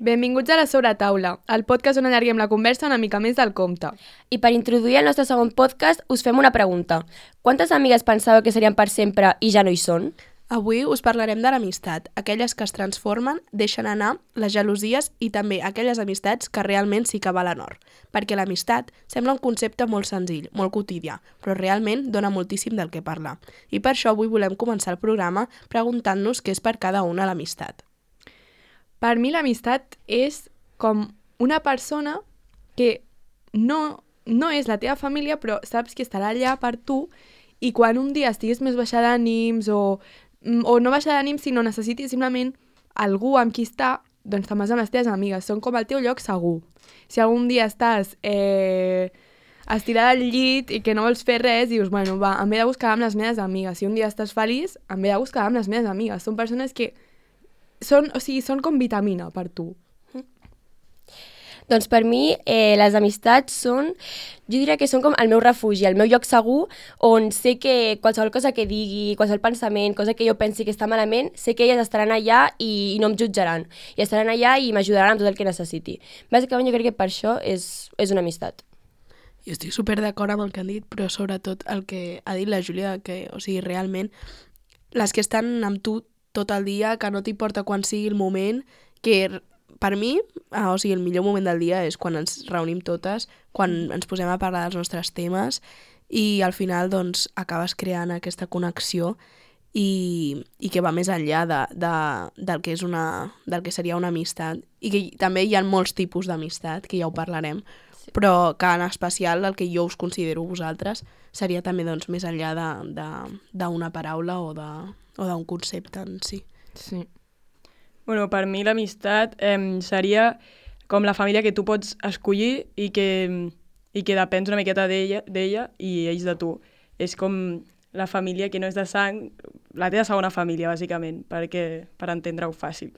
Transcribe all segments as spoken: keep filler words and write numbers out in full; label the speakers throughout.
Speaker 1: Benvinguts a la Sobretaula, el podcast on allarguem la conversa una mica més del compte.
Speaker 2: I per introduir el nostre segon podcast us fem una pregunta. Quantes amigues pensàveu que serien per sempre i ja no hi són?
Speaker 3: Avui us parlarem de l'amistat, aquelles que es transformen, deixen anar, les gelosies i també aquelles amistats que realment sí que valen or. Perquè l'amistat sembla un concepte molt senzill, molt quotidià, però realment dona moltíssim del que parlar. I per això avui volem començar el programa preguntant-nos què és per cada una l'amistat.
Speaker 1: Per mi l'amistat és com una persona que no, no és la teva família, però saps que estarà allà per tu i quan un dia estiguis més baixa d'ànims o, o no baixa d'ànims, sinó necessitis simplement algú amb qui estar, doncs te'n vas amb les teves amigues. Són com el teu lloc segur. Si algun dia estàs eh, estirada al llit i que no vols fer res, dius, bueno, va, em ve de buscar amb les meves amigues. Si un dia estàs feliç, em ve de buscar amb les meves amigues. Són persones que Són, o sigui, són com vitamina per tu.
Speaker 2: Doncs per mi eh, les amistats són, jo diria que són com el meu refugi, el meu lloc segur on sé que qualsevol cosa que digui, qualsevol pensament, cosa que jo pensi que està malament, sé que elles estaran allà i, i no em jutjaran. I estaran allà i m'ajudaran amb tot el que necessiti. Bàsicament jo crec que per això és, és una amistat.
Speaker 3: Jo estic super d'acord amb el que han dit, però sobretot el que ha dit la Júlia, que, o sigui, realment, les que estan amb tu tot el dia, que no t'importa quan sigui el moment, que per mi, ah, o sigui, el millor moment del dia és quan ens reunim totes, quan ens posem a parlar dels nostres temes i al final doncs acabes creant aquesta connexió i, i que va més enllà de, de, del, que és una, del que seria una amistat. I que també hi ha molts tipus d'amistat, que ja ho parlarem, sí. Però que en especial el que jo us considero vosaltres seria també doncs, més enllà d'una paraula o de o d'un concepte en si.
Speaker 1: Sí.
Speaker 4: Bueno, per mi l'amistat eh, seria com la família que tu pots escollir i que, i que depens una miqueta d'ella d'ella i ells de tu. És com la família que no és de sang, la teva segona família, bàsicament, perquè, per entendre-ho fàcil.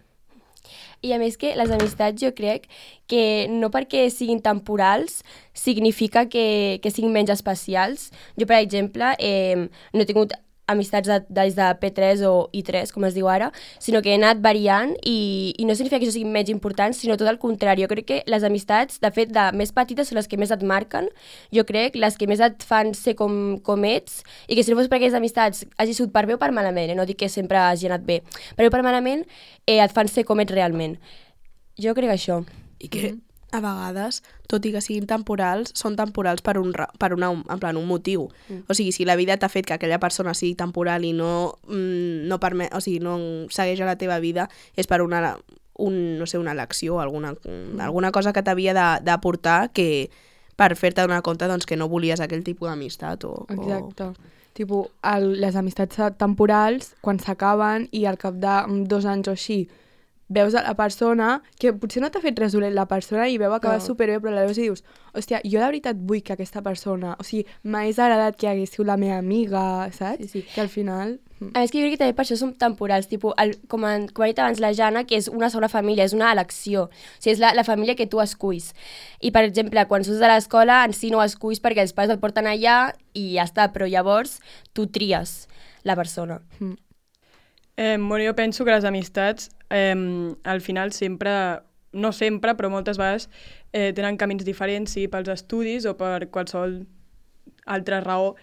Speaker 2: I a més que les amistats jo crec que no perquè siguin temporals significa que, que siguin menys especials. Jo, per exemple, eh, no he tingut amistats de, des de P tres o I tres, com es diu ara, sinó que he anat variant i, i no significa que això sigui menys important, sinó tot el contrari. Jo crec que les amistats, de fet, de més petites són les que més et marquen, jo crec, les que més et fan ser com, com ets, i que si no fos per aquestes amistats hagi sigut per bé o per malament, eh? No dic que sempre hagi anat bé, però per malament eh, et fan ser com ets realment. Jo crec això.
Speaker 3: I que mm-hmm. a vegades, tot i que siguin temporals, són temporals per un, per una, en plan, un motiu. Mm. O sigui, si la vida t'ha fet que aquella persona sigui temporal i no, mm, no, permet, o sigui, no segueix a la teva vida, és per una, un, no sé, una elecció, alguna, mm. alguna cosa que t'havia d'aportar que per fer-te donar compte doncs, que no volies aquell tipus d'amistat. O,
Speaker 1: Exacte.
Speaker 3: O...
Speaker 1: Tipo, el, les amistats temporals, quan s'acaben i al cap de dos anys o així, veus a la persona, que potser no t'ha fet res dolent la persona i veu acabar no. superbé, però la veus i dius, hòstia, jo de veritat vull que aquesta persona, o sigui, m'hagués agradat que hagués sigut la meva amiga, saps?
Speaker 2: Sí, sí.
Speaker 1: Que al final...
Speaker 2: A més que jo crec que també per això som temporals, tipus, el, com, en, com ha dit abans la Jana, que és una segona família, és una elecció, o sigui, és la, la família que tu esculls. I, per exemple, quan surts de l'escola, en si no ho esculls perquè els pares et porten allà i ja està, però llavors tu tries la persona.
Speaker 1: Mm.
Speaker 4: Eh, bueno, jo penso que les amistats eh, al final sempre, no sempre, però moltes vegades eh, tenen camins diferents, sigui pels estudis o per qualsevol altra raó,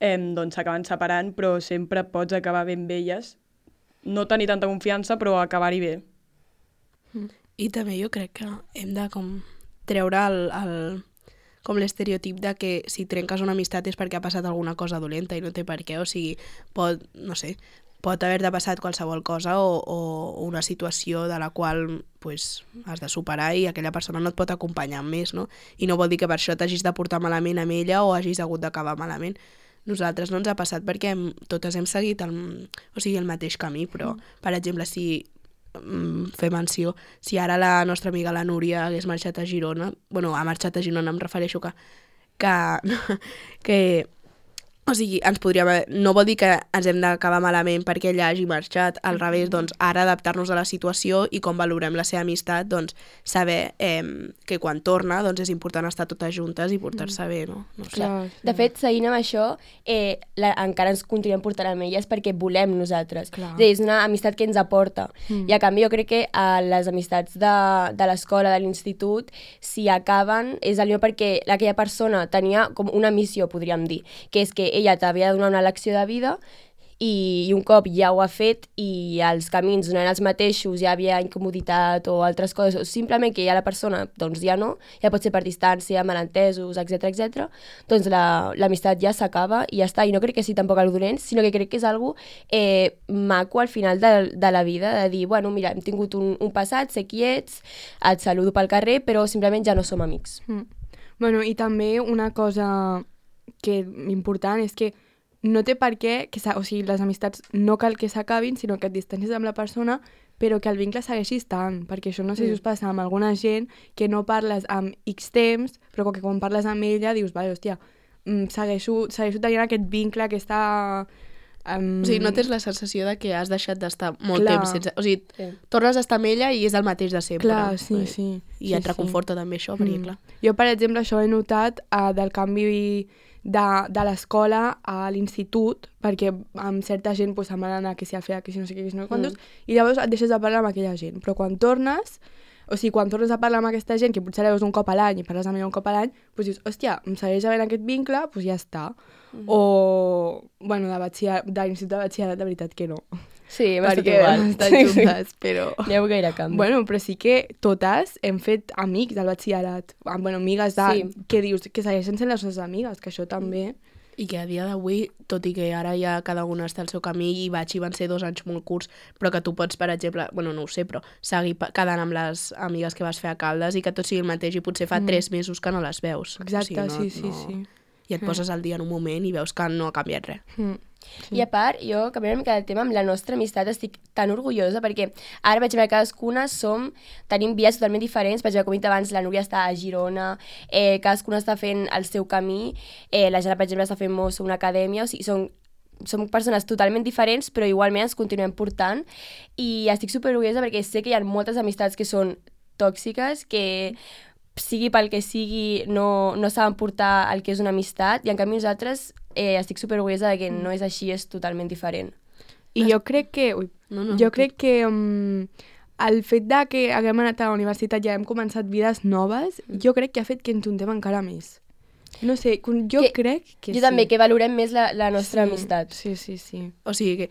Speaker 4: eh, doncs s'acaben separant, però sempre pots acabar ben amb elles. No tenir tanta confiança, però acabar-hi bé.
Speaker 3: I també jo crec que hem de com treure el, el, com l'estereotip de que si trenques una amistat és perquè ha passat alguna cosa dolenta i no té per què, o sigui, pot, no sé, pot haver-te passat qualsevol cosa o, o una situació de la qual pues, has de superar i aquella persona no et pot acompanyar més, no? I no vol dir que per això t'hagis de portar malament amb ella o hagis hagut d'acabar malament. Nosaltres no ens ha passat perquè hem, totes hem seguit el, o sigui, el mateix camí, però, per exemple, si mm, fer menció, si ara la nostra amiga la Núria hagués marxat a Girona, bueno, ha marxat a Girona, em refereixo que, que, que O sigui, ens podríem... No vol dir que ens hem d'acabar malament perquè ella hagi marxat, al revés, doncs ara adaptar-nos a la situació i com valorem la seva amistat, doncs saber eh, que quan torna doncs és important estar totes juntes i portar-se bé, no? No sé.
Speaker 2: Clar. De fet, seguint amb això, eh, la, encara ens continuem portant amb elles perquè volem nosaltres.
Speaker 1: Clar.
Speaker 2: És a dir, és una amistat que ens aporta.
Speaker 1: Mm.
Speaker 2: I a canvi jo crec que a les amistats de, de l'escola, de l'institut, si acaben és allò perquè aquella persona tenia com una missió, podríem dir, que és que ella t'havia de donar una lecció de vida i, i un cop ja ho ha fet i els camins no eren els mateixos, ja havia incomoditat o altres coses, o simplement que ja la persona doncs ja no, ja pot ser per distància, malentesos, etcètera etcètera, doncs l'amistat la, ja s'acaba i ja està. I no crec que sigui tampoc algo dolent, sinó que crec que és algo eh, maco al final de, de la vida, de dir, bueno, mira, hem tingut un, un passat, sé qui ets, et saludo pel carrer, però simplement ja no som amics.
Speaker 1: Mm. Bueno, i també una cosa que important és que no té per què, que o sigui, les amistats no cal que s'acabin, sinó que et distancis amb la persona, però que el vincle segueixi estant, perquè això no sé si us passa amb alguna gent que no parles amb X temps, però que quan parles amb ella dius, vale, hòstia, segueixo, segueixo tenint aquest vincle, aquesta... Um...
Speaker 3: O sigui, no tens la sensació de que has deixat d'estar molt
Speaker 1: Clar.
Speaker 3: temps sense... O sigui,
Speaker 2: Sí.
Speaker 3: tornes a estar amb ella i és el mateix de sempre.
Speaker 1: Clar, sí,
Speaker 3: Eh,
Speaker 1: sí.
Speaker 3: I
Speaker 1: sí,
Speaker 3: et reconforta també això, perquè
Speaker 1: Mm.
Speaker 3: clar...
Speaker 1: Jo, per exemple, això he notat uh, del canvi de, de l'escola a l'institut, perquè amb certa gent pues, se'n van anar que si a fer, que si no sé què, que si no sé quantos, i llavors et deixes de parlar amb aquella gent. Però quan tornes, o sigui, quan tornes a parlar amb aquesta gent, que potser la veus un cop a l'any i parles amb ella un cop a l'any, doncs dius, hòstia, em segueix havent aquest vincle, doncs ja està. Mm -hmm. O, bueno, de, batxiller, de l'institut de batxillerat, de veritat que no.
Speaker 2: Sí, hem estat
Speaker 1: perquè
Speaker 2: igual.
Speaker 1: hem estat juntes, però...
Speaker 2: No hi ha gaire canvi.
Speaker 1: Bueno, però sí que totes hem fet amics al batxillerat. Ah, bueno, amigues de...
Speaker 2: Sí.
Speaker 1: Que dius? Que segueixen sent les nostres amigues, que això també...
Speaker 3: I que a dia d'avui, tot i que ara ja cada una està al seu camí i vaig i van ser dos anys molt curts, però que tu pots, per exemple, bueno, no ho sé, però seguir quedant amb les amigues que vas fer a Caldes i que tot sigui el mateix i potser fa mm. tres mesos que no les veus.
Speaker 1: Exacte,
Speaker 3: o sigui, no,
Speaker 1: sí, sí,
Speaker 3: no...
Speaker 1: sí.
Speaker 3: I et poses al dia en un moment i veus que no ha canviat res.
Speaker 1: Mm.
Speaker 2: Sí. I a part, jo, canviant una mica de tema, amb la nostra amistat estic tan orgullosa perquè ara, per exemple, cadascuna som, tenim vies totalment diferents. Per exemple, com he dit abans, la Núria està a Girona, eh, cadascuna està fent el seu camí, eh, la Jana, per exemple, està fent Mosso, una acadèmia, o sigui, són, som persones totalment diferents, però igualment ens continuem portant i estic superorgullosa perquè sé que hi ha moltes amistats que són tòxiques, que sigui pel que sigui, no, no saben portar el que és una amistat, i en canvi nosaltres eh, estic superorgullosa de que no és així, és totalment diferent.
Speaker 1: I jo crec que... Ui,
Speaker 3: No, no,
Speaker 1: jo crec que um, el fet de que haguem anat a la universitat i ja hem començat vides noves, jo crec que ha fet que ens juntem encara més. No sé, jo
Speaker 2: Que-
Speaker 1: crec que
Speaker 2: jo
Speaker 1: sí.
Speaker 2: també, que valorem més la, la nostra
Speaker 1: sí,
Speaker 2: amistat.
Speaker 1: Sí, sí, sí.
Speaker 3: O sigui que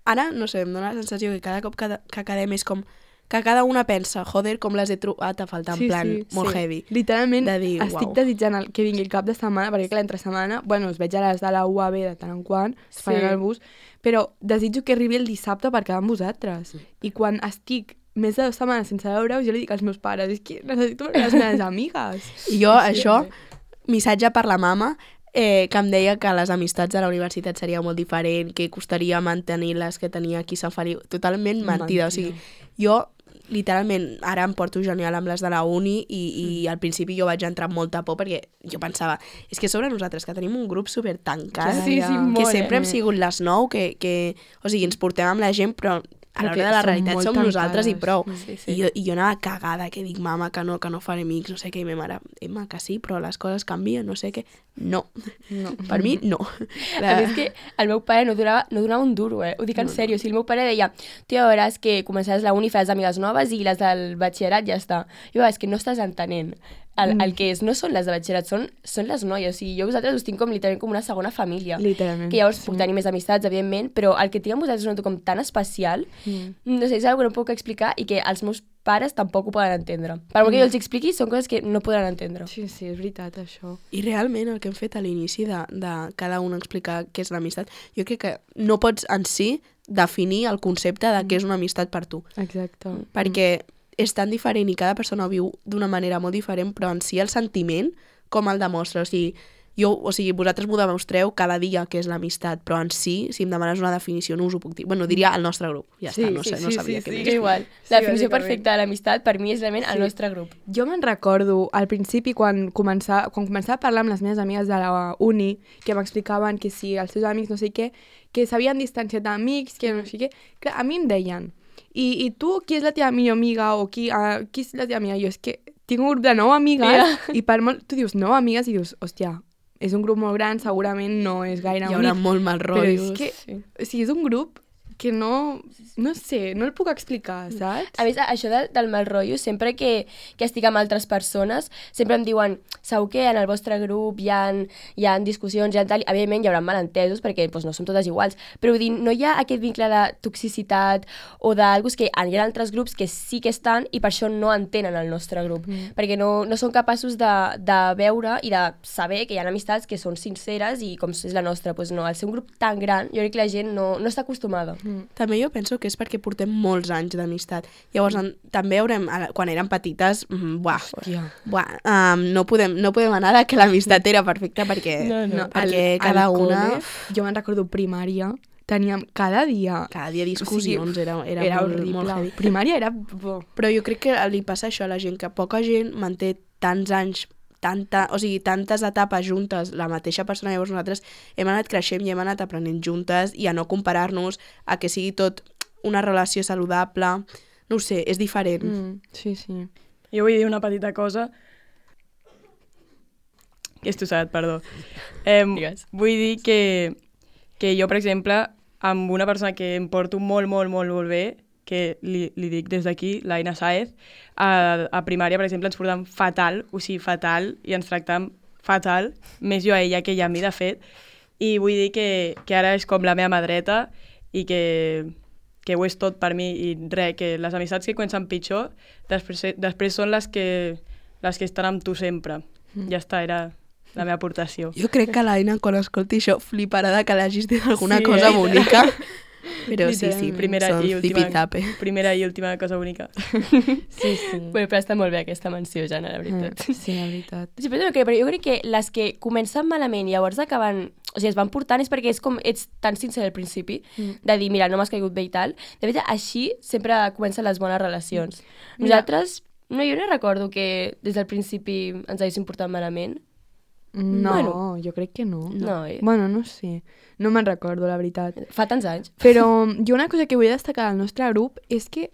Speaker 3: ara, no sé, em dóna la sensació que cada cop que, que quedem és com que cada una pensa, joder, com les he trobat a faltar, en
Speaker 1: sí,
Speaker 3: plan
Speaker 1: sí,
Speaker 3: molt
Speaker 1: sí.
Speaker 3: heavy.
Speaker 1: Literalment,
Speaker 3: De dir,
Speaker 1: estic
Speaker 3: uau.
Speaker 1: desitjant el, que vingui el cap de setmana, perquè clar, entre setmana, bueno, us veig a les de la U A B de tant en quant, es
Speaker 2: Sí.
Speaker 1: faran el bus, però desitjo que arribi el dissabte per quedar amb vosaltres. I quan estic més de dues setmanes sense veure-us, jo li dic als meus pares, és que necessito veure les meves amigues.
Speaker 3: I jo, això, missatge per la mama, eh, que em deia que les amistats de la universitat seria molt diferent, que costaria mantenir les que tenia aquí a Sant Feliu. Totalment mentida.
Speaker 1: Mentida.
Speaker 3: O sigui, jo, literalment, ara em porto genial amb les de la uni i, i
Speaker 1: Mm.
Speaker 3: al principi jo vaig entrar amb molta por perquè jo pensava, és que sobre nosaltres, que tenim un grup super tancat,
Speaker 1: Sí, sí,
Speaker 3: que
Speaker 1: molt,
Speaker 3: sempre
Speaker 1: eh?
Speaker 3: hem sigut les nou, que, que, o sigui, ens portem amb la gent, però a
Speaker 1: Però
Speaker 3: l'hora
Speaker 1: que
Speaker 3: de la
Speaker 1: som
Speaker 3: realitat
Speaker 1: molt
Speaker 3: som nosaltres i
Speaker 1: tancades.
Speaker 3: prou.
Speaker 1: Sí,
Speaker 2: sí.
Speaker 3: I, jo, I jo anava cagada, que dic, mama, que no, que no faré amics, no sé què, i ma mare, Emma, que sí, però les coses canvien, no sé què. No.
Speaker 1: No.
Speaker 3: Per mi, no.
Speaker 2: A més que el meu pare no donava, no donava un duro, eh? Ho dic en sèrio. O sigui, el meu pare deia, tu ja veuràs que començaràs la uni, faràs amigues noves i les del batxillerat ja està. Jo, és que no estàs entenent. El, el que és, no són les de batxillerat, són, són les noies. O sigui, jo vosaltres us tinc com literalment com una segona família.
Speaker 1: Literalment.
Speaker 2: Que llavors
Speaker 1: sí.
Speaker 2: puc tenir més amistats, evidentment, però el que tinc amb vosaltres és un noto com tan especial,
Speaker 1: Mm.
Speaker 2: no sé, és una que no puc explicar i que els meus pares tampoc ho poden entendre. Per molt que jo els expliqui, són coses que no podran entendre.
Speaker 1: Sí, sí, és veritat, això.
Speaker 3: I realment el que hem fet a l'inici de, de cada un explicar què és l'amistat, jo crec que no pots en si definir el concepte de què és una amistat per tu.
Speaker 1: Exacte.
Speaker 3: Perquè és tan diferent i cada persona ho viu d'una manera molt diferent, però en si el sentiment, com el demostra. O sigui, Jo, o sigui, vosaltres m'ho demostreu cada dia que és l'amistat, però en si, si em demanes una definició, no us ho puc dir. Bueno, diria el nostre grup, ja
Speaker 2: Sí,
Speaker 3: està, no,
Speaker 2: sí,
Speaker 3: sé, no
Speaker 4: sí,
Speaker 3: sabia
Speaker 4: sí,
Speaker 3: què
Speaker 4: sí.
Speaker 3: més.
Speaker 2: És igual.
Speaker 4: Sí,
Speaker 2: La definició
Speaker 4: bàsicament.
Speaker 2: perfecta de l'amistat per mi és realment el
Speaker 1: Sí.
Speaker 2: nostre grup.
Speaker 1: Jo me'n recordo al principi quan començava, quan començava a parlar amb les meves amigues de la uni, que m'explicaven que si els seus amics no sé què, que s'havien distanciat d'amics, que no sé què, clar, a mi em deien, i, i tu qui és la teva millor amiga o qui, uh, qui és la teva amiga? Jo és que tinc un grup de nou amigues
Speaker 2: Yeah.
Speaker 1: i per molt, tu dius nou amigues i dius, hòstia, és un grup molt gran, segurament no és gaire
Speaker 3: Hi haurà
Speaker 1: únic,
Speaker 3: molt mal
Speaker 1: però
Speaker 3: rotllos.
Speaker 1: és que,
Speaker 2: Sí.
Speaker 1: o sigui, és un grup que no, no sé, no el puc explicar, saps?
Speaker 2: A més, això del, del mal rotllo, sempre que, que estic amb altres persones, sempre em diuen, segur que en el vostre grup hi ha, hi ha discussions, hi ha tal, evidentment hi haurà malentesos perquè doncs, no som totes iguals, però vull dir, no hi ha aquest vincle de toxicitat o d'algú que hi ha altres grups que sí que estan i per això no entenen el nostre grup, mm. perquè no, no són capaços de, de veure i de saber que hi ha amistats que són sinceres i com és la nostra, doncs no, al ser un grup tan gran, jo crec que la gent no, no està acostumada.
Speaker 3: També jo penso que és perquè portem molts anys d'amistat. Llavors, en, també haurem, a la- quan érem petites, mm, buah,
Speaker 1: Hòstia.
Speaker 3: buah um, no, podem, no podem anar de que l'amistat era perfecta perquè,
Speaker 2: No, no.
Speaker 3: perquè
Speaker 1: Al-
Speaker 3: cada
Speaker 1: al
Speaker 3: una...
Speaker 1: col·le, jo me'n recordo primària, teníem cada dia...
Speaker 3: Cada dia discussions,
Speaker 1: O sigui,
Speaker 3: era, era,
Speaker 1: era
Speaker 3: molt,
Speaker 1: horrible.
Speaker 3: molt heavy.
Speaker 1: Primària era... bo.
Speaker 3: Però jo crec que li passa això a la gent, que poca gent manté tants anys, tanta, o sigui, tantes etapes juntes, la mateixa persona. Llavors nosaltres hem anat creixent i hem anat aprenent juntes i a no comparar-nos, a que sigui tot una relació saludable. No ho sé, és diferent.
Speaker 1: Mm, sí, sí.
Speaker 4: Jo vull dir una petita cosa. Que és tossat, perdó. Eh,
Speaker 2: Digues.
Speaker 4: vull dir que, que jo, per exemple, amb una persona que em porto molt, molt, molt, molt bé, que li, li dic des d'aquí, l'Aina Saez, a, a primària, per exemple, ens portàvem fatal, o sigui, fatal, i ens tractàvem fatal, més jo a ella que ella a mi, de fet, i vull dir que, que ara és com la meva mà dreta i que, que ho és tot per mi, i res, que les amistats que comencen pitjor, després, després són les que, les que estan amb tu sempre. Mm. Ja està, era la meva aportació.
Speaker 3: Jo crec que l'Aina, quan escolti això, fliparà de que l'hagis dit alguna
Speaker 4: Sí,
Speaker 3: cosa
Speaker 4: eh?
Speaker 3: bonica. Però sí, sí,
Speaker 1: Literalment.
Speaker 4: Primera
Speaker 3: són
Speaker 4: i última,
Speaker 3: zipizape.
Speaker 4: primera i última cosa bonica.
Speaker 1: Sí, sí.
Speaker 2: Bueno, però està molt bé aquesta menció, Jana, la veritat.
Speaker 1: Mm, sí, la veritat.
Speaker 2: Sí, però, no, però jo crec que les que comencen malament i llavors acaben... O sigui, es van portant és perquè és com ets tan sincer al principi, mm. de dir, mira, no m'has caigut bé i tal. De fet, així sempre comencen les bones relacions. Mm. Nosaltres, no, jo no recordo que des del principi ens haguéssim portat malament.
Speaker 1: No,
Speaker 2: Bueno.
Speaker 1: jo crec que no.
Speaker 2: No, eh?
Speaker 1: Bueno, no sé. No me'n recordo, la veritat.
Speaker 2: Fa tants anys.
Speaker 1: Però jo una cosa que vull destacar del nostre grup és que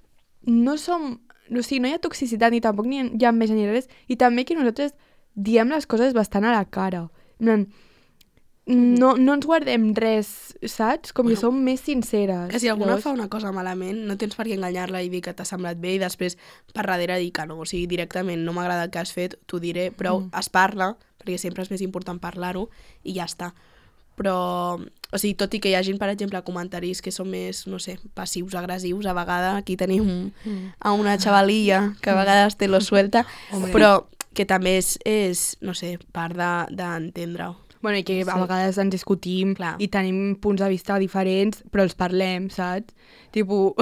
Speaker 1: no som... O sigui, no hi ha toxicitat ni tampoc ni hi ha enveja ni res. I també que nosaltres diem les coses bastant a la cara. En plan, no, no ens guardem res, saps? Com
Speaker 3: Bueno,
Speaker 1: que som més sinceres.
Speaker 3: Que si alguna
Speaker 1: Llavors-
Speaker 3: fa una cosa malament, no tens per què enganyar-la i dir que t'ha semblat bé i després per darrere dir que no. O sigui, directament, no m'agrada el que has fet, t'ho diré, però mm. es parla, perquè sempre és més important parlar-ho, i ja està. Però, o sigui, tot i que hi hagin, per exemple, comentaris que són més, no sé, passius, agressius, a vegades aquí tenim a una xavalilla que a vegades te lo suelta, però que també és, és no sé, part de- d'entendre-ho.
Speaker 1: Bueno, i que a
Speaker 3: Sí.
Speaker 1: vegades ens discutim
Speaker 3: Clar.
Speaker 1: i tenim punts de vista diferents, però els parlem, saps? Tipo,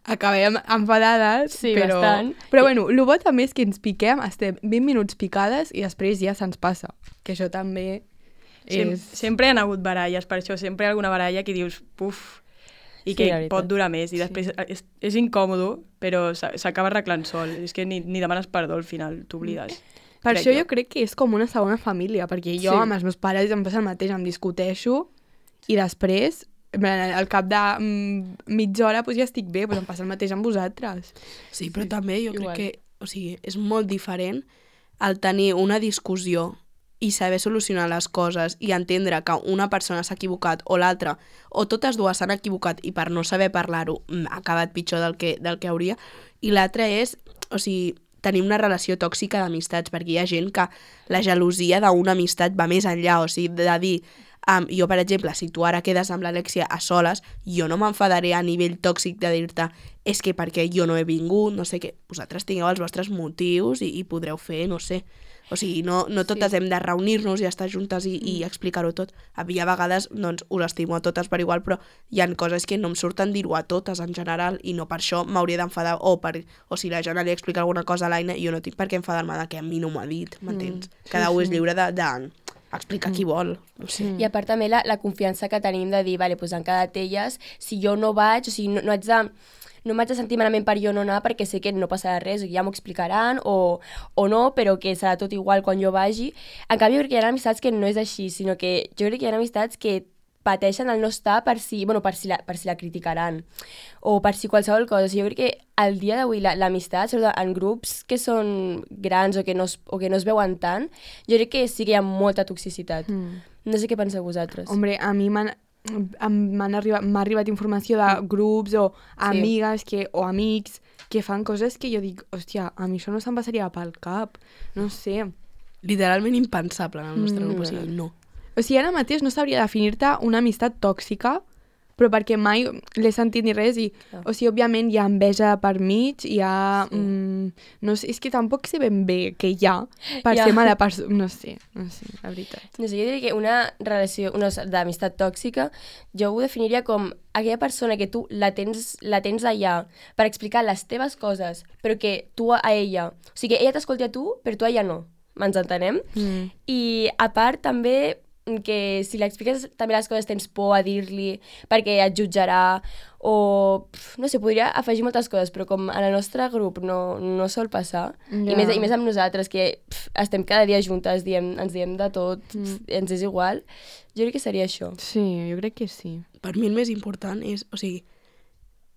Speaker 1: acabem enfadades,
Speaker 2: Sí,
Speaker 1: però...
Speaker 2: bastant.
Speaker 1: Però bueno, el bo també és que ens piquem, estem vint minuts picades i després ja se'ns passa. Que això també
Speaker 4: Sem
Speaker 1: és...
Speaker 4: Sempre hi ha hagut baralles, per això sempre hi ha alguna baralla que dius, puf, i
Speaker 2: Sí,
Speaker 4: que
Speaker 2: la veritat.
Speaker 4: pot durar més, i després és, és incòmodo, però s'a- s'acaba arreglant sol. És que ni, ni demanes perdó al final, t'oblides.
Speaker 1: Per
Speaker 4: crec
Speaker 1: això
Speaker 4: jo.
Speaker 1: jo crec que és com una segona família, perquè jo
Speaker 2: Sí.
Speaker 1: amb els meus pares em passa el mateix, em discuteixo i després, en plan, al cap de mm, mitja hora pues, ja estic bé, pues em passa el mateix amb vosaltres.
Speaker 3: Sí, però també jo
Speaker 2: igual.
Speaker 3: crec que, o sigui, és molt diferent el tenir una discussió i saber solucionar les coses i entendre que una persona s'ha equivocat o l'altra, o totes dues s'han equivocat i per no saber parlar-ho mm, ha acabat pitjor del que, del que hauria, i l'altra és, o sigui, tenir una relació tòxica d'amistats, perquè hi ha gent que la gelosia d'una amistat va més enllà, o sigui, de dir, um, jo, per exemple, si tu ara quedes amb l'Alexia a soles, jo no m'enfadaré a nivell tòxic de dir-te és que perquè jo no he vingut, no sé què, vosaltres tingueu els vostres motius i, i podreu fer, no sé. O sigui, no, no totes sí. hem de reunir-nos i estar juntes i, i explicar-ho tot. Hi ha vegades, doncs, us estimo a totes per igual, però hi ha coses que no em surten dir-ho a totes en general i no per això m'hauria d'enfadar. O, per, o si la Jana li explica alguna cosa a l'Aina, jo no tinc per què enfadar-me de que a mi no m'ho ha dit, m'entens?
Speaker 1: Mm, sí,
Speaker 3: Cada un és
Speaker 1: sí.
Speaker 3: lliure de, de, explicar qui vol. No sé.
Speaker 2: I a part també la, la confiança que tenim de dir, vale, doncs han quedat elles, si jo no vaig, o sigui, no, no haig de... no m'haig de sentir malament per jo no anar perquè sé que no passarà res, ja m'ho explicaran o, o no, però que serà tot igual quan jo vagi. En canvi, jo crec que hi ha amistats que no és així, sinó que jo crec que hi ha amistats que pateixen el no estar per si, bueno, per si, la, per si la criticaran o per si qualsevol cosa. O sigui, jo crec que al dia d'avui l'amistat, sobretot en grups que són grans o que, no es, o que no es veuen tant, jo crec que sí que hi ha molta toxicitat. Mm. No sé què penseu vosaltres.
Speaker 1: Hombre, a mi m'han m'han arribat, m'ha arribat informació de grups o amigues que, o amics que fan coses que jo dic, hòstia, a mi això no se'm passaria pel cap, no sé.
Speaker 3: Literalment impensable en el nostre
Speaker 1: Mm.
Speaker 3: grup, o sigui, no.
Speaker 1: O sigui, ara mateix no sabria definir-te una amistat tòxica, però perquè mai l'he sentit ni res i,
Speaker 2: Clar.
Speaker 1: o sigui, òbviament hi ha enveja per mig, hi ha...
Speaker 2: Sí.
Speaker 1: Mm, no sé, és que tampoc sé ben bé què hi ha per
Speaker 2: Ja.
Speaker 1: ser mala persona, no sé, no sé, la veritat.
Speaker 2: No sé, jo diria que una relació una d'amistat tòxica jo ho definiria com aquella persona que tu la tens, la tens allà per explicar les teves coses, però que tu a ella... O sigui, que ella t'escolti a tu, però tu a ella no. Ens entenem?
Speaker 1: Mm.
Speaker 2: I a part també que si l'expliques també les coses tens por a dir-li perquè et jutjarà o pf, no sé, podria afegir moltes coses, però com en el nostre grup no, no sol passar,
Speaker 1: Ja.
Speaker 2: i, més, i més amb nosaltres que pf, estem cada dia juntes, diem, ens diem de tot, pf, ens és igual, jo crec que seria això.
Speaker 1: Sí, jo crec que sí.
Speaker 3: Per mi el més important és, o sigui,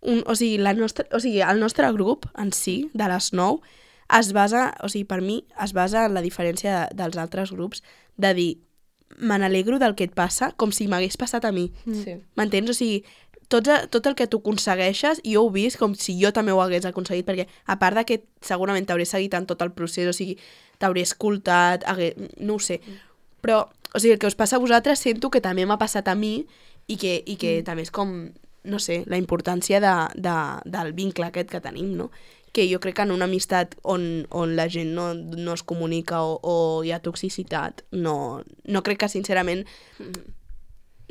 Speaker 3: un, o sigui, la nostra, o sigui, el nostre grup en si, de les nou, es basa, o sigui, per mi, es basa en la diferència de, dels altres grups de dir, me n'alegro del que et passa com si m'hagués passat a mi.
Speaker 2: Sí.
Speaker 3: M'entens? O sigui, tot, tot el que tu aconsegueixes, jo ho he vist com si jo també ho hagués aconseguit, perquè a part de que segurament t'hauré seguit en tot el procés, o sigui, t'hauré escoltat, hagué, no ho sé, però, o sigui, el que us passa a vosaltres sento que també m'ha passat a mi i que, i que mm. també és com, no sé, la importància de, de, del vincle aquest que tenim, no? Que jo crec que en una amistat on, on la gent no, no es comunica o, o hi ha toxicitat, no, no crec que sincerament,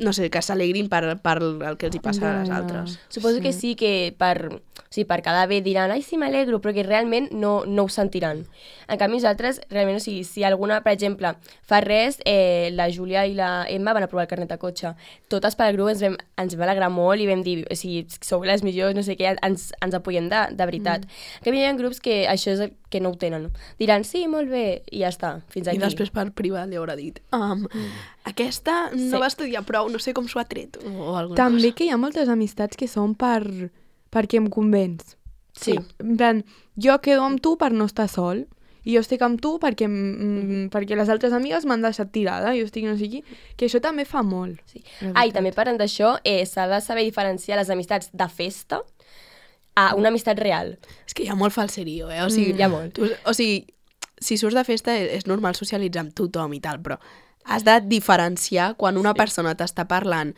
Speaker 3: no sé, que s'alegrin per, per el que els hi passa
Speaker 1: Ja,
Speaker 3: a les
Speaker 1: ja.
Speaker 3: altres.
Speaker 2: Suposo sí. que sí que per, o sigui, per quedar bé diran ai, sí, m'alegro, però que realment no, no ho sentiran. En canvi, nosaltres, realment, o sigui, si alguna, per exemple, fa res, eh, la Júlia i la Emma van aprovar el carnet de cotxe. Totes pel grup ens vam, ens vam alegrar molt i vam dir, o sigui, sou les millors, no sé què, ens, ens apoyen de, de veritat. Mm. En canvi, hi ha grups que això és el que no ho tenen. Diran, sí, molt bé, i ja està, fins aquí.
Speaker 3: I després per privat li haurà dit um, mm. aquesta no
Speaker 2: Sí.
Speaker 3: va estudiar prou, no sé com s'ho ha tret o alguna
Speaker 1: També
Speaker 3: cosa.
Speaker 1: que hi ha moltes amistats que són per perquè em convenç.
Speaker 2: Sí.
Speaker 1: En plan, jo quedo amb tu per no estar sol i jo estic amb tu perquè, mm, perquè les altres amigues m'han deixat tirada, jo estic no sé qui, que això també fa molt.
Speaker 2: Sí.
Speaker 1: la
Speaker 2: Ah, i
Speaker 1: veritat.
Speaker 2: també parlant d'això, eh, s'ha de saber diferenciar les amistats de festa a una amistat real.
Speaker 3: És que hi ha molt falserio, eh? O sigui,
Speaker 2: Mm, hi ha molt.
Speaker 3: Tu, o sigui, si surts de festa és, és normal socialitzar amb tothom i tal, però has de diferenciar quan una
Speaker 2: Sí.
Speaker 3: persona t'està parlant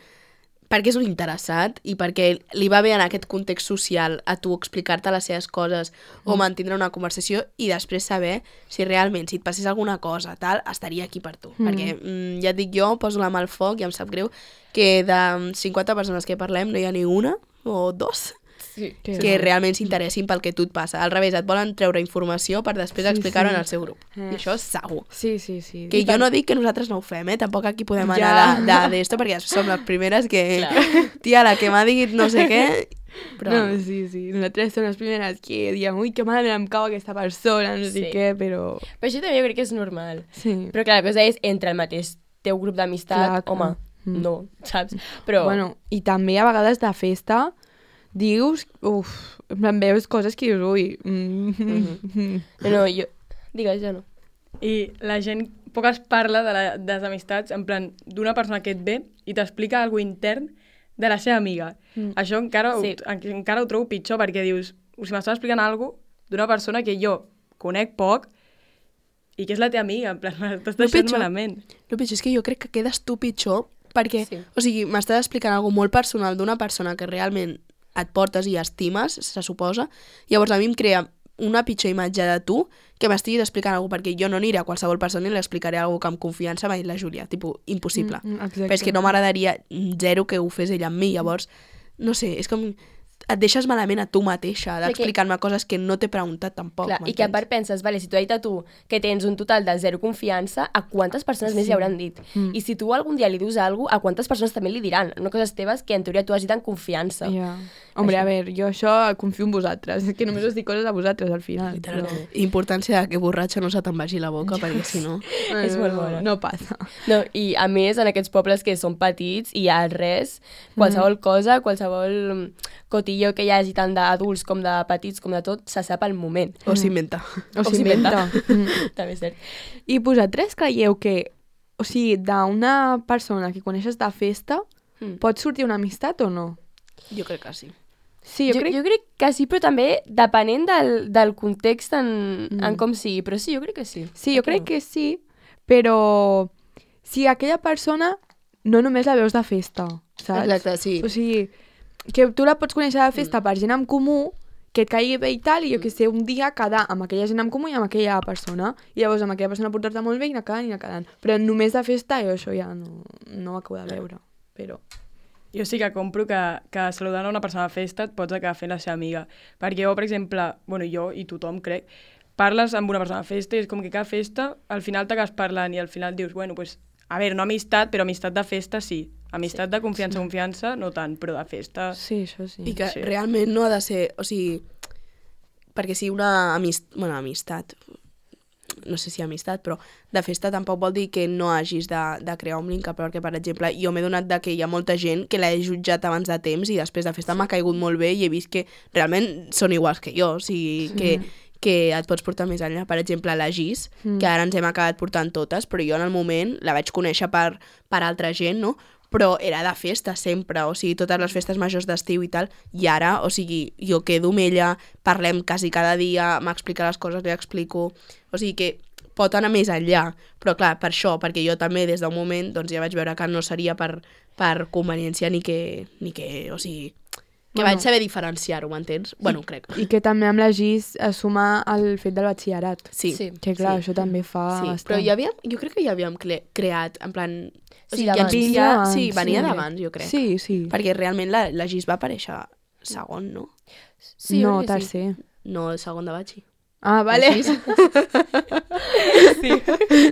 Speaker 3: perquè és un interessat i perquè li va bé en aquest context social a tu explicar-te les seves coses mm. o mantindre una conversació i després saber si realment, si et passés alguna cosa, tal, estaria aquí per tu. Mm. Perquè, mm, ja et dic jo, poso la mà al foc i em sap greu que de cinquanta persones que parlem no hi ha ni una o dos
Speaker 2: Sí.
Speaker 1: Que
Speaker 3: que
Speaker 1: no.
Speaker 3: realment s'interessin pel que tu et passa. Al revés, et volen treure informació per després
Speaker 1: Sí,
Speaker 3: explicar-ho
Speaker 1: sí.
Speaker 3: en el seu grup.
Speaker 1: Eh.
Speaker 3: I això és segur.
Speaker 1: Sí, sí, sí.
Speaker 3: Que
Speaker 1: I
Speaker 3: jo
Speaker 1: tam-
Speaker 3: no dic que nosaltres no ho fem, eh? Tampoc aquí podem
Speaker 1: Ja.
Speaker 3: anar de- de- d'esto, perquè som les primeres que...
Speaker 2: Clar.
Speaker 3: Tia, la que m'ha dit no sé què... Però...
Speaker 1: No, sí, sí. Nosaltres som les primeres que diem ui, que malament em cau aquesta persona, no sé
Speaker 2: Sí.
Speaker 1: què, però...
Speaker 2: Però això també jo crec que és normal.
Speaker 1: Sí.
Speaker 2: Però clar, la cosa és, entre el mateix teu grup d'amistat,
Speaker 1: Clar, clar.
Speaker 2: home,
Speaker 1: Mm.
Speaker 2: no, saps? Però,
Speaker 1: Bueno, i també a vegades de festa dius, uf, en plan, veus coses que dius, ui... Mm -hmm.
Speaker 2: no, no, jo... Digues, ja no.
Speaker 4: I la gent poc es parla de, la, de les amistats, en plan, d'una persona que et ve i t'explica alguna intern de la seva amiga.
Speaker 1: Mm.
Speaker 4: Això encara,
Speaker 2: Sí.
Speaker 4: ho, en, encara ho trobo pitjor, perquè dius, si m'estàs explicant alguna cosa d'una persona que jo conec poc i que és la teva amiga, en plan, m'estàs
Speaker 3: No,
Speaker 4: deixant
Speaker 3: pitjor.
Speaker 4: malament.
Speaker 3: El pitjor és que jo crec que quedes tu pitjor perquè,
Speaker 2: Sí.
Speaker 3: o sigui, m'estàs explicant alguna molt personal d'una persona que realment et portes i estimes, se suposa, llavors a mi em crea una pitjor imatge de tu que m'estiguis explicant alguna cosa, perquè jo no aniré a qualsevol persona i li explicaré alguna cosa que amb confiança m'ha dit la Júlia, tipus, impossible.
Speaker 1: Mm, mm, exacte.
Speaker 3: Però és que no m'agradaria zero que ho fes ella amb mi, llavors, no sé, és com... et deixes malament a tu mateixa
Speaker 2: Perquè-
Speaker 3: d'explicar-me coses que no t'he preguntat tampoc.
Speaker 2: Clar, i que a part penses, vale, si t'ho ha dit a tu que tens un total de zero confiança, a quantes persones més li hauran dit?
Speaker 1: Mm.
Speaker 2: I si tu algun dia li dius alguna cosa, a quantes persones també li diran? No coses teves que en teoria tu has dit en confiança.
Speaker 1: Ja. Hombre, a veure, jo això confio en vosaltres, que només us dic coses a vosaltres al final. Però...
Speaker 3: Importància de que borratxa no se te'n vagi la boca, perquè si no...
Speaker 2: És molt bona.
Speaker 1: No passa.
Speaker 2: No, i a més, en aquests pobles que són petits i hi ha res, qualsevol cosa, qualsevol cotillo que hi hagi tant d'adults com de petits com de tot, se sap al moment.
Speaker 3: O s'inventa.
Speaker 1: O
Speaker 2: O
Speaker 1: s'inventa. Mm.
Speaker 2: També és cert.
Speaker 1: I vosaltres creieu que, o sigui, d'una persona que coneixes de festa,
Speaker 2: Mm.
Speaker 1: pot sortir una amistat o no?
Speaker 3: Jo crec que sí.
Speaker 1: Sí, jo,
Speaker 2: Jo,
Speaker 1: crec...
Speaker 2: jo crec que sí, però també depenent del, del context en,
Speaker 1: Mm.
Speaker 2: en com sigui. Però sí, jo crec que sí.
Speaker 1: Sí, jo crec que sí, però si aquella persona no només la veus de festa, saps?
Speaker 3: Exacte, sí.
Speaker 1: O sigui, que tu la pots conèixer de festa per gent en comú, que et caigui bé i tal, i jo que sé, un dia quedar amb aquella gent en comú i amb aquella persona. I llavors amb aquella persona portar-te molt bé i anar quedant i anar quedant. Però només de festa jo això ja no, no ho acabo de veure. Però...
Speaker 4: Jo sí que compro que, que saludant a una persona a festa et pots acabar fent la seva amiga. Perquè jo, per exemple, bueno, jo i tothom, crec, parles amb una persona a festa i és com que cada festa al final t'acabes parlant i al final dius, bueno, pues, a veure, no amistat, però amistat de festa sí. Amistat de confiança, confiança, no tant, però de festa...
Speaker 1: Sí, això sí.
Speaker 3: I que
Speaker 4: Sí.
Speaker 3: realment no ha de ser... O sigui, perquè si una amist... bueno, amistat, no sé si amistat, però de festa tampoc vol dir que no hagis de, de crear un vincle, perquè, per exemple, jo m'he donat de que hi ha molta gent que l'he jutjat abans de temps i després de festa m'ha caigut molt bé i he vist que realment són iguals que jo, o sigui, sí. que, que et pots portar més enllà. Per exemple, la Gis, mm. que ara ens hem acabat portant totes, però jo en el moment la vaig conèixer per, per altra gent, no? Però era de festa sempre, o sigui, totes les festes majors d'estiu i tal, i ara, o sigui, jo quedo amb ella, parlem quasi cada dia, m'explica les coses, li explico, o sigui que pot anar més enllà, però clar, per això, perquè jo també des d'un moment doncs ja vaig veure que no seria per, per conveniència ni que, ni que, o sigui, que
Speaker 1: Bueno.
Speaker 3: vaig saber diferenciar-ho, m'entens? Bueno, crec.
Speaker 1: I que també amb la Gis assumar el fet del batxillerat.
Speaker 3: Sí,
Speaker 2: Sí.
Speaker 1: Que clar,
Speaker 3: sí.
Speaker 1: això també fa
Speaker 3: Sí,
Speaker 1: bastant.
Speaker 3: però ja havíem, jo crec que ja havíem cre creat, en plan... O
Speaker 2: Sí,
Speaker 3: sigui, ja,
Speaker 2: d'abans.
Speaker 3: ens- ja,
Speaker 1: Venia
Speaker 3: sí,
Speaker 1: abans,
Speaker 3: venia
Speaker 1: sí.
Speaker 3: d'abans, jo crec.
Speaker 1: Sí, sí.
Speaker 3: Perquè realment la, la Gis va aparèixer segon, no?
Speaker 2: Sí, jo
Speaker 1: no,
Speaker 2: crec que sí.
Speaker 1: tercer.
Speaker 3: No, el segon de batxi.
Speaker 1: Ah, vale.
Speaker 3: La Gis.
Speaker 1: Sí.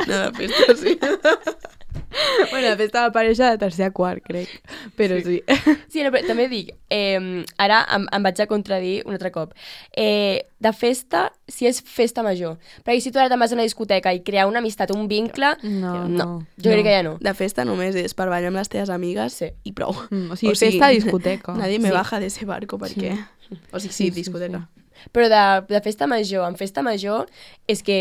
Speaker 3: No, de festa, sí.
Speaker 1: Bueno, de festa va aparèixer de tercer a quart, crec. Però sí.
Speaker 2: Sí, no, però també dic, eh, ara em, em vaig a contradir un altre cop. Eh, de festa, si és festa major. Perquè si tu ara te'n vas a una discoteca i crear una amistat, un vincle...
Speaker 1: No,
Speaker 2: no.
Speaker 1: no.
Speaker 2: Jo crec que ja no.
Speaker 3: De festa només és per ballar amb les teves amigues
Speaker 2: Sí.
Speaker 3: i prou.
Speaker 1: Mm, o sigui, festa, discoteca.
Speaker 3: Nadie me
Speaker 2: Sí.
Speaker 3: baja de ese barco perquè... O sigui, sí,
Speaker 1: Sí, sí,
Speaker 3: discoteca.
Speaker 2: Però de, de festa major, en festa major, és que...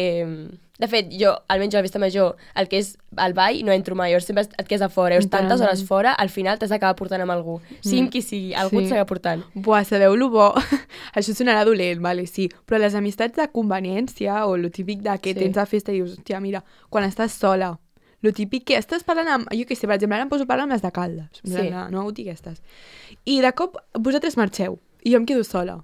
Speaker 2: De fet, jo, almenys a la festa major, el que és el ball, no entro mai. Llavors sempre et quedes a fora. Llavors, tantes
Speaker 1: Literalment.
Speaker 2: hores fora, al final t'has d'acabar portant amb algú. Sigui amb qui sigui, algú
Speaker 1: Sí.
Speaker 2: et s'acaba portant.
Speaker 1: Buah, sabeu lo bo? Això sonarà dolent, vale, sí. Però les amistats de conveniència o lo típic de que
Speaker 2: Sí.
Speaker 1: tens a festa i dius, hòstia, mira, quan estàs sola, lo típic que estàs parlant amb... Jo què sé, per exemple, ara em poso a parlar amb les de Caldes,
Speaker 2: Sí.
Speaker 1: sí. no ho dic aquestes. I de cop vosaltres marxeu i jo em quedo sola.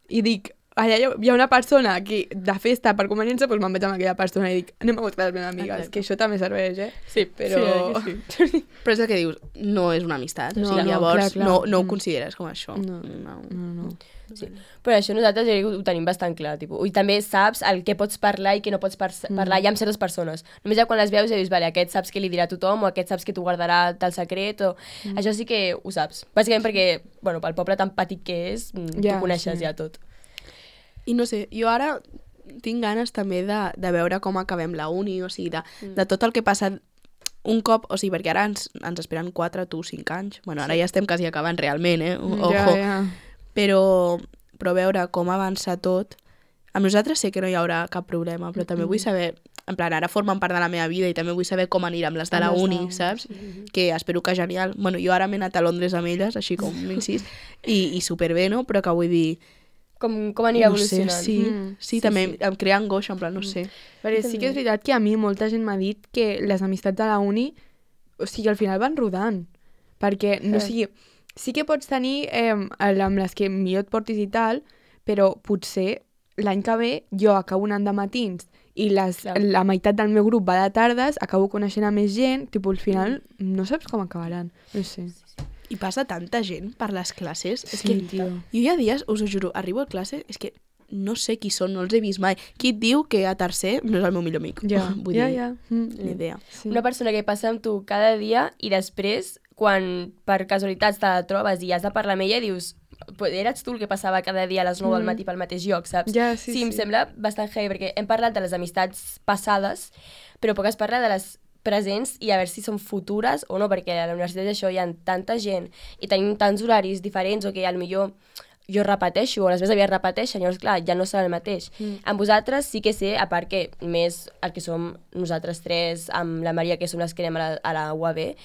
Speaker 1: I dic, allà hi ha- hi ha una persona que de festa per conveniència, doncs me'n vaig amb aquella persona i dic, anem a buscar les meves amigues,
Speaker 3: Exacte.
Speaker 1: que això també serveix, eh?
Speaker 2: Sí,
Speaker 1: Però...
Speaker 2: sí, sí.
Speaker 3: Però és el que dius, no és una amistat.
Speaker 1: No,
Speaker 3: o sigui,
Speaker 1: no,
Speaker 3: llavors
Speaker 1: clar, clar.
Speaker 3: no, no ho
Speaker 1: Mm.
Speaker 3: consideres com això.
Speaker 1: No.
Speaker 3: no.
Speaker 1: No, no.
Speaker 2: Sí. Però això nosaltres ja ho tenim bastant clar. Tipus. I també saps el que pots parlar i que no pots par parlar ja amb certes persones. Només ja quan les veus ja dius, vale, aquest saps que li dirà a tothom o aquest saps que t'ho guardarà tal secret. O... Mm. Això sí que ho saps. Bàsicament perquè, bueno, pel poble tan petit que és, mm,
Speaker 1: Ja,
Speaker 2: tu coneixes
Speaker 1: sí.
Speaker 2: ja tot.
Speaker 3: I no sé, jo ara tinc ganes també de, de veure com acabem la uni, o sigui, de, mm. de tot el que passa un cop, o sigui, perquè ara ens, ens esperen quatre, tu, cinc anys. Bueno, ara sí. ja estem quasi acabant realment, eh? Ojo.
Speaker 1: Ja, ja.
Speaker 3: Però, però veure com avança tot, amb nosaltres sé que no hi haurà cap problema, però també vull saber, en plan, ara formen part de la meva vida i també vull saber com anirà amb les de la
Speaker 1: Amb les de
Speaker 3: uni,
Speaker 1: la uni,
Speaker 3: saps? Que espero que genial. Bueno, jo ara m'he anat a Londres amb elles, així com un incís, i, i superbé, no? Però que vull dir...
Speaker 2: Com, com anirà
Speaker 3: no sé,
Speaker 2: evolucionant.
Speaker 3: sí,
Speaker 1: Mm,
Speaker 3: sí,
Speaker 2: sí,
Speaker 3: també
Speaker 2: sí.
Speaker 3: em crea angoixa, en plan, no sé.
Speaker 1: Perquè sí que és veritat que a mi molta gent m'ha dit que les amistats de la uni, o sigui, al final van rodant. Perquè, no
Speaker 2: Sí.
Speaker 1: sigui, sí que pots tenir eh, amb les que millor et portis i tal, però potser l'any que ve jo acabo anant de matins i les,
Speaker 2: Clar.
Speaker 1: la meitat del meu grup va de tardes, acabo coneixent a més gent, tipus, al final no saps com acabaran. No sé.
Speaker 3: I passa tanta gent per les classes. És
Speaker 1: Sí,
Speaker 3: que
Speaker 1: tio.
Speaker 3: jo hi ha dies, us ho juro, arribo a classe, és que no sé qui són, no els he vist mai. Qui et diu que a tercer no és el meu millor amic?
Speaker 1: Ja,
Speaker 3: Vull
Speaker 1: ja,
Speaker 3: dir,
Speaker 1: ja. Mm.
Speaker 3: ni idea.
Speaker 1: Sí.
Speaker 2: Una persona que passa amb tu cada dia i després, quan per casualitats te la trobes i has de parlar amb ella, dius, "Pues eres tu el que passava cada dia a les nou del
Speaker 1: Mm.
Speaker 2: matí pel mateix lloc, saps?
Speaker 1: Ja, sí,
Speaker 2: sí, em
Speaker 1: sí.
Speaker 2: sembla bastant heavy, perquè hem parlat de les amistats passades, però poc es parla de les presents i a veure si són futures o no, perquè a la universitat això hi ha tanta gent i tenim tants horaris diferents o que potser jo repeteixo o les meves avies repeteixen, llavors clar, ja no serà el mateix. Mm. Amb vosaltres sí que sé, a part que més el que som nosaltres tres, amb la Maria, que som les que anem a la, a la U A B,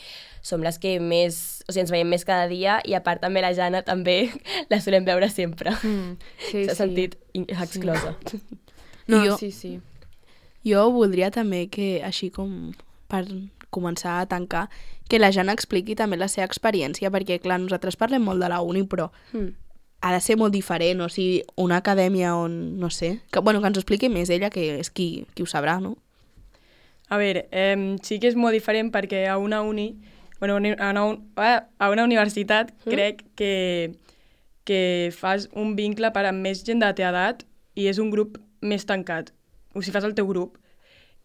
Speaker 2: som les que més, o sigui, ens veiem més cada dia i a part també la Jana també la solem veure sempre.
Speaker 1: Mm. Sí,
Speaker 2: S'ha
Speaker 1: sí.
Speaker 2: sentit in- exclosa.
Speaker 1: No,
Speaker 3: Jo-
Speaker 1: sí, sí.
Speaker 3: Jo voldria també que, així com per començar a tancar, que la Jana expliqui també la seva experiència, perquè, clar, nosaltres parlem molt de la uni, però
Speaker 2: Mm.
Speaker 3: ha de ser molt diferent, o sigui, una acadèmia on, no sé, que, bueno, que ens ho expliqui més ella, que és qui, qui ho sabrà, no?
Speaker 4: A veure, eh, sí que és molt diferent perquè a una uni, bueno, a una, un- a una universitat
Speaker 2: Mm.
Speaker 4: crec que, que fas un vincle per amb més gent de la teva edat i és un grup més tancat. O sigui, fas el teu grup.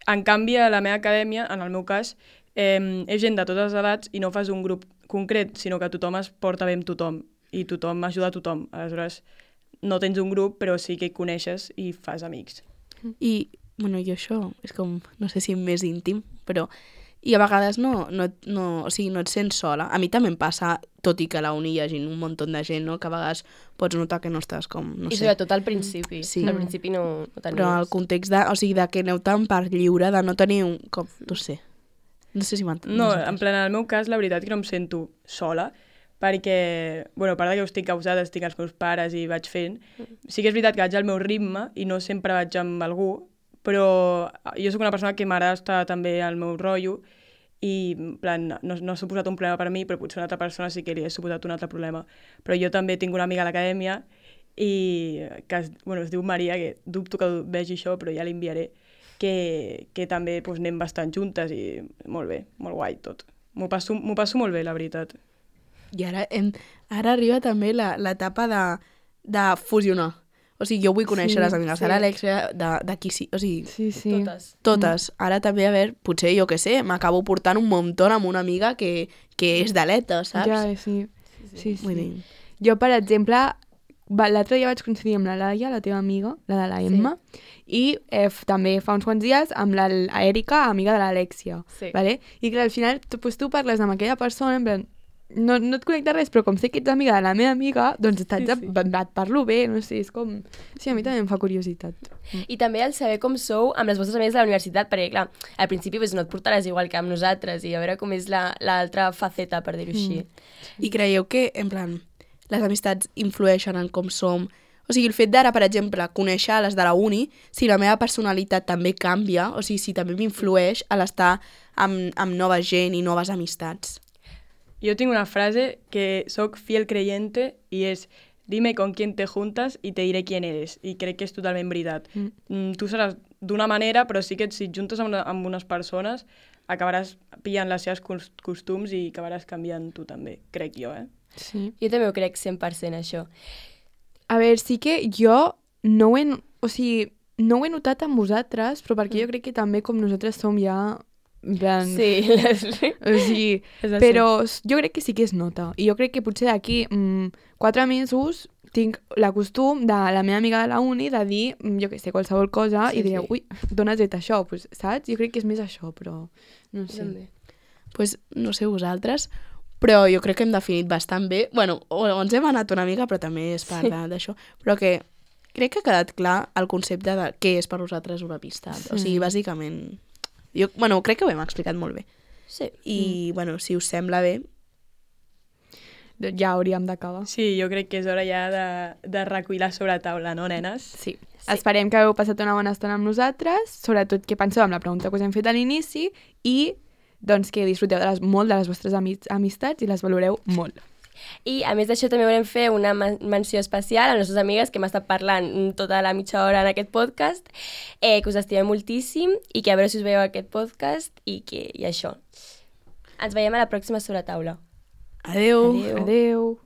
Speaker 4: En canvi, a la meva acadèmia, en el meu cas, eh, és gent de totes les edats i no fas un grup concret, sinó que tothom es porta bé amb tothom i tothom ajuda a tothom. Aleshores, no tens un grup, però sí que hi coneixes i fas amics.
Speaker 3: I, bueno, jo això és com, no sé si més íntim, però... I a vegades no, no, no, o sigui, no et sents sola. A mi també em passa, tot i que a la uni hi hagi un munt de gent, no? Que a vegades pots notar que no estàs com, no
Speaker 2: I
Speaker 3: sé...
Speaker 2: sobretot al principi.
Speaker 3: Sí.
Speaker 2: Al principi no, no tenies.
Speaker 3: Però el context de, o sigui, de que aneu tan per lliure, de no tenir un... Com, no sé. No sé si m'entens.
Speaker 4: No, en plan, en el meu cas, la veritat que no em sento sola, perquè, bueno, a part de que ho estic causada, estic als meus pares i vaig fent, sí que és veritat que vaig al meu ritme i no sempre vaig amb algú, però jo sóc una persona que m'agrada estar també al meu rotllo i, en plan, no, no ha suposat un problema per mi, però potser una altra persona sí que li ha suposat un altre problema. Però jo també tinc una amiga a l'acadèmia i que es, bueno, es diu Maria, que dubto que vegi això, però ja l'enviaré, que, que també doncs, anem bastant juntes i molt bé, molt guai tot. M'ho passo, m'ho passo molt bé, la veritat.
Speaker 3: I ara, hem, ara arriba també la- l'etapa de, de fusionar. O sigui, jo vull conèixer
Speaker 1: Sí,
Speaker 3: les amigues
Speaker 1: sí.
Speaker 3: de l'Alexia, de, de qui sí, o sigui,
Speaker 1: Sí, sí.
Speaker 2: Totes.
Speaker 3: totes. Ara també, a veure, potser, jo què sé, m'acabo portant un muntó amb una amiga que, que és d'aleta, saps?
Speaker 1: Ja, sí. Sí, sí.
Speaker 3: Vull dir,
Speaker 1: Jo, per exemple, va- l'altre dia vaig coincidir amb la Laia, la teva amiga, la de la Emma, i eh, f- també fa uns quants dies amb la L- Erika, amiga de l'Alexia.
Speaker 2: Sí.
Speaker 1: Vale? I clar, al final tu, pues, tu parles amb aquella persona, en plan, no, no et connecta res, però com sé que ets amiga de la meva amiga, doncs estàs,
Speaker 4: Sí, sí.
Speaker 1: sí, et parlo bé, no sé, és com... Sí, a mi també em fa curiositat.
Speaker 2: I també el saber com sou amb les vostres amigues de la universitat, perquè, clar, al principi pues, no et portaràs igual que amb nosaltres i a veure com és la- l'altra faceta, per dir-ho així.
Speaker 3: I creieu que, en plan, les amistats influeixen en com som? O sigui, el fet d'ara, per exemple, conèixer les de la uni, si la meva personalitat també canvia, o sigui, si també m'influeix a l'estar amb, amb nova gent i noves amistats.
Speaker 4: Jo tinc una frase que soc fiel creyente i és dime con quién te juntas y te diré quién eres. I crec que és totalment veritat.
Speaker 1: Mm.
Speaker 4: Mm, tu seràs d'una manera, però sí que si et juntes amb, una, amb unes persones acabaràs pillant les seves cos- costums i acabaràs canviant tu també, crec jo, eh?
Speaker 1: Sí.
Speaker 2: Jo també ho crec cent per cent, això.
Speaker 1: A veure, sí que jo no ho he, o sigui, no ho he notat amb vosaltres, però perquè jo crec que també com nosaltres som ja... En plan,
Speaker 2: Sí.
Speaker 1: O sigui,
Speaker 2: És així.
Speaker 1: però s- jo crec que sí que es nota. I jo crec que potser d'aquí mm, quatre mesos tinc la costum de la meva amiga de la uni de dir, mm, jo què sé, qualsevol cosa
Speaker 2: Sí,
Speaker 1: i diré,
Speaker 2: sí.
Speaker 1: ui, d'on has tret això? Pues, saps? Jo crec que és més això, però no sé.
Speaker 2: També.
Speaker 3: Pues, no sé vosaltres, però jo crec que hem definit bastant bé. Bueno, o ens hem anat una mica, però també és part de- d'això. Però que crec que ha quedat clar el concepte de què és per nosaltres una amistat. O sigui, bàsicament... Jo, bueno, crec que ho hem explicat molt bé.
Speaker 2: Sí.
Speaker 3: I, bueno, si us sembla bé,
Speaker 1: Doncs ja hauríem d'acabar.
Speaker 4: Sí, jo crec que és hora ja de, de recollir la sobretaula, no, nenes?
Speaker 1: Sí. sí. Esperem que hagueu passat una bona estona amb nosaltres, sobretot que penseu amb la pregunta que us hem fet a l'inici i doncs que disfruteu de les, molt de les vostres ami amistats i les valoreu molt.
Speaker 2: I a més d'això també volem fer una men- menció especial a les nostres amigues que hem estat parlant tota la mitja hora en aquest podcast, eh, que us estimem moltíssim i que a veure si us veieu aquest podcast i que i això. Ens veiem a la pròxima sobretaula.
Speaker 3: Adeu.
Speaker 2: Adeu.
Speaker 1: Adeu.